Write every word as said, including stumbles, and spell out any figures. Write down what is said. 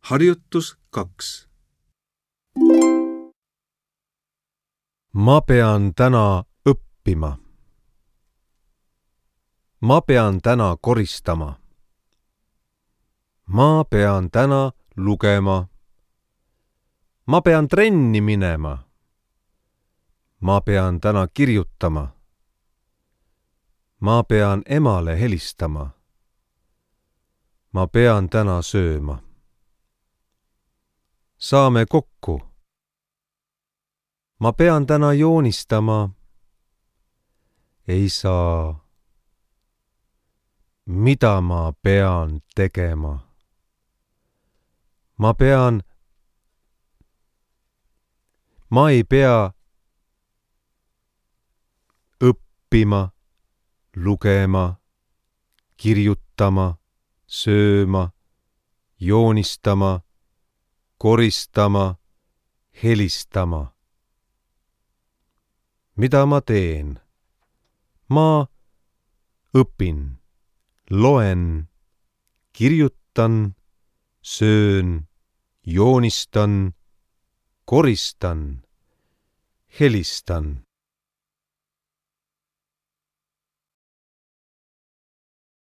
Harjutus kaks. Ma pean täna õppima. Ma pean täna koristama. Ma pean täna lugema. Ma pean trenni minema. Ma pean täna kirjutama. Ma pean emale helistama. Ma pean täna sööma. Saame kokku. Ma pean täna joonistama. Ei saa. Mida ma pean tegema? Ma pean... Ma ei pea õppima, lugema, kirjutama, sööma, joonistama, koristama, helistama. Mida ma teen? Ma õpin, loen, kirjutan, söön, joonistan, koristan, helistan.